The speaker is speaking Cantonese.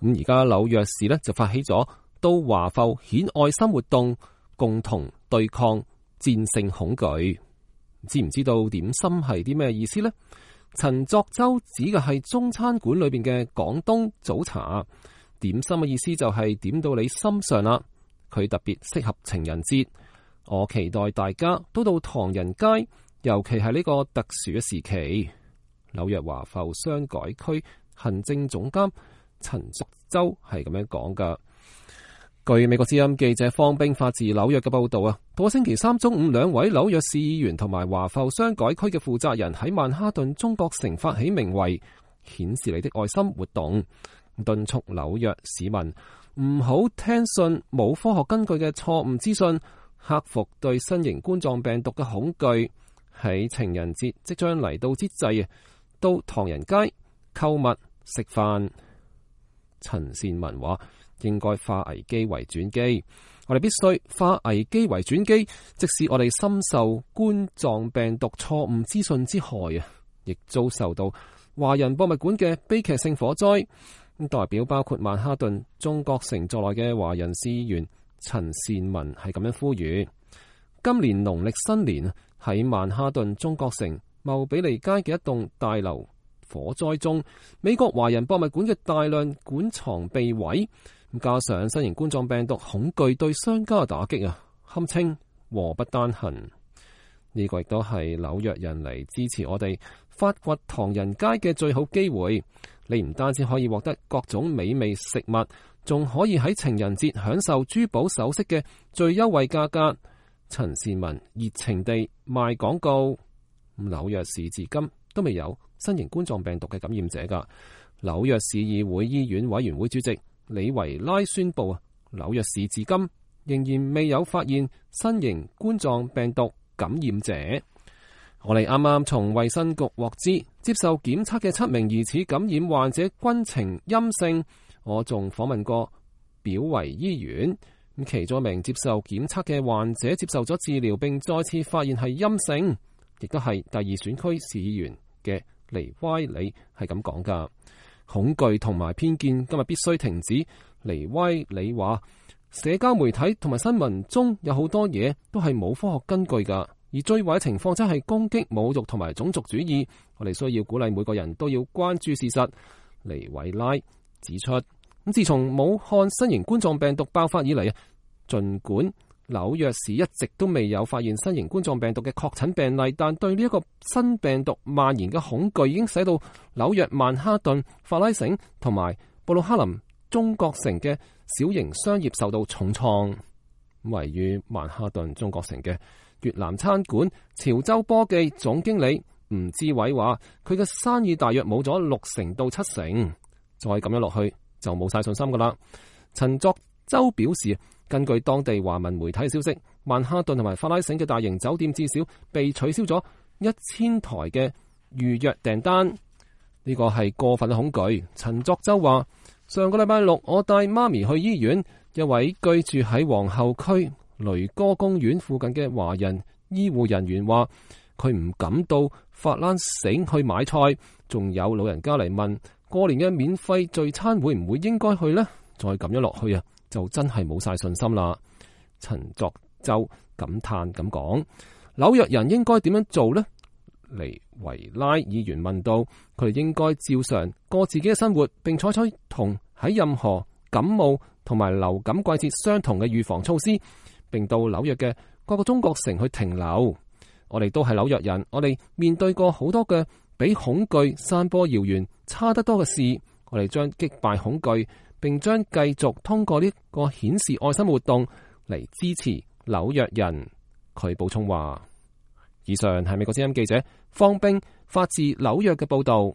咁而家紐約市呢，就發起咗到華埠顯愛心活動，共同對抗戰勝恐懼。知唔知道點心係啲咩意思呢？陳作周指嘅係中餐館裏邊嘅廣東早茶。點心嘅意思就係點到你心上啦。佢特別適合情人節。我期待大家都到唐人街，尤其係呢個特殊嘅時期。紐約華埠商改區行政總監陳作周係咁樣講噶。據美國之音記者方冰發自紐約嘅報道啊，到星期三中午，兩位紐約市議員同埋華埠商改區嘅負責人喺曼哈頓中國城發起名為顯示你的愛心活動，敦促紐約市民唔好聽信冇科學根據嘅錯誤資訊，克服對新型冠狀病毒嘅恐懼。喺情人節即將嚟到之際啊，到唐人街購物食飯。陳善文話，應該化危機為轉機，我哋必須化危機為轉機，即使我哋深受冠狀病毒錯誤資訊之害啊，亦遭受到華人博物館嘅悲劇性火災。代表包括曼哈頓中國城在內嘅華人市議員陳善文係咁樣呼籲，今年農曆新年喺曼哈頓中國城茂比利街嘅一棟大樓火災中，美國華人博物館嘅大量館藏被毀，加上新型冠狀病毒恐懼對商家嘅打擊啊，堪稱禍不單行。呢個亦都係紐約人嚟支持我哋發掘唐人街嘅最好機會。你唔單止可以獲得各種美味食物，仲可以喺情人節享受珠寶首飾嘅最優惠價格。陳善文熱情地賣廣告。紐約市至今都未有新型冠狀病毒嘅感染者噶。紐約市議會醫院委員會主席李維拉宣布啊，紐約市至今仍然未有發現新型冠狀病毒感染者。我哋啱啱從衛生局獲知，接受檢測嘅7名疑似感染患者均呈陰性。我仲訪問過表維醫院，咁其中一名接受檢測嘅患者接受咗治療，並再次發現係陰性，亦都係第2選區市議員嘅尼歪里係咁講噶。恐懼同埋偏見今日必須停止。尼歪里話，社交媒體同埋新聞中有好多嘢都係冇科學根據噶，而最壞嘅情況真係攻擊、侮辱同埋種族主義。我哋需要鼓勵每個人都要關注事實。尼維拉指出，咁自從武漢新型冠狀病毒爆發以嚟啊，儘管紐約市一直都未有發現新型冠狀病毒嘅確診病例，但對呢一個新病毒蔓延嘅恐懼已經使到紐約曼哈頓、法拉盛同埋布魯克林中國城嘅小型商業受到重創。位於曼哈頓中國城嘅越南餐館潮州波記總經理吳志偉話，佢嘅生意大約冇咗60%到70%，再咁樣落去就冇晒信心噶啦。陳作周表示，根據當地華文媒體消息，曼哈頓同埋法拉盛嘅大型酒店至少被取消咗1000台嘅預約訂單，呢個係過分嘅恐懼。陳作周話，上個禮拜六我帶媽咪去醫院，一位居住喺皇后區雷哥公園附近嘅華人醫護人員話，佢唔敢到法拉盛去買菜，仲有老人家嚟問過年嘅免費聚餐會唔會應該去呢？再咁樣落去啊，就真係冇晒信心啦。陳作周感嘆咁講，紐約人應該點樣做呢？尼維拉議員問到，佢哋應該照常過自己嘅生活，並採取同喺任何感冒同埋流感季節相同嘅預防措施，並到紐約嘅各個中國城去停留。我哋都係紐約人，我哋面對過好多嘅比恐懼散播謠言差得多嘅事，我哋將擊敗恐懼，並將繼續通過呢個顯示愛心活動嚟支持紐約人。佢補充話，以上係美國之音記者方冰發自紐約嘅報道。